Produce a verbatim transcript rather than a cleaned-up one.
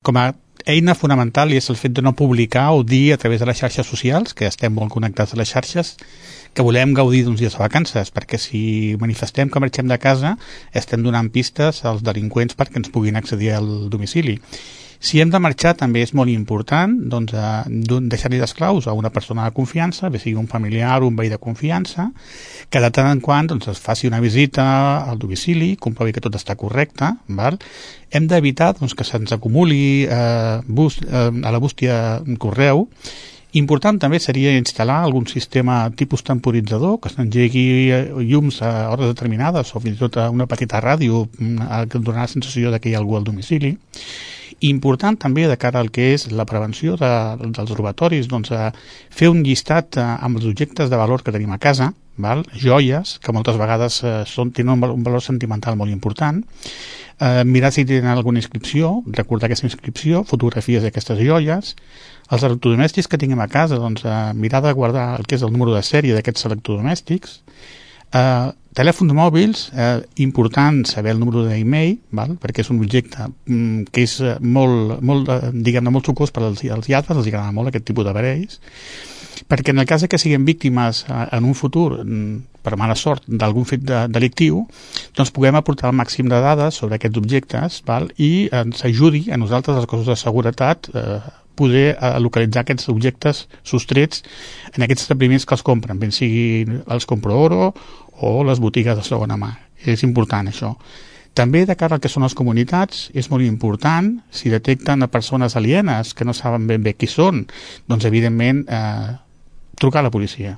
com a eina fonamental és el fet de no publicar o dir a través de les xarxes socials, que estem molt connectats a les xarxes, que volem gaudir d'uns dies de vacances, perquè si manifestem que marxem de casa estem donant pistes als delinqüents perquè ens puguin accedir al domicili. Si hem de marxar també és molt important doncs, eh, deixar-li les claus a una persona de confiança, bé sigui un familiar o un veí de confiança, que de tant en quant doncs, es faci una visita al domicili, comprovi que tot està correcte. Val? Hem d'evitar doncs, que se'ns acumuli eh, bus, eh, a la bústia correu. Important també seria instal·lar algun sistema tipus temporitzador que s'engegui llums a hores determinades o fins i tot una petita ràdio que donarà la sensació de que hi ha algú al domicili. Important també de cara al que és la prevenció de, dels robatoris, doncs, eh, fer un llistat eh, amb els objectes de valor que tenim a casa, val? Joies, que moltes vegades eh, són, tenen un valor sentimental molt important, eh, mirar si tenen alguna inscripció, recordar aquesta inscripció, fotografies d'aquestes joies, els electrodomèstics que tinguem a casa, doncs, eh, mirar de guardar el que és el número de sèrie d'aquests electrodomèstics, eh, telèfons mòbils, eh, important saber el número d'e-mail, val? Perquè és un objecte mm, que és molt, molt, eh, diguem-ne, molt sucós per als, als lladres, els agrada molt aquest tipus d'aparells, perquè en el cas que siguem víctimes eh, en un futur, mm, per mala sort, d'algun fet de, delictiu, doncs puguem aportar el màxim de dades sobre aquests objectes, val? I ens ajudi a nosaltres, els cossos de seguretat, eh, poder eh, localitzar aquests objectes sostrets en aquests establiments que els compren, ben sigui els compro oro o les botigues de segona mà. És important això. També de cara al que són les comunitats és molt important, si detecten a persones alienes que no saben ben bé qui són, doncs evidentment eh, trucar a la policia.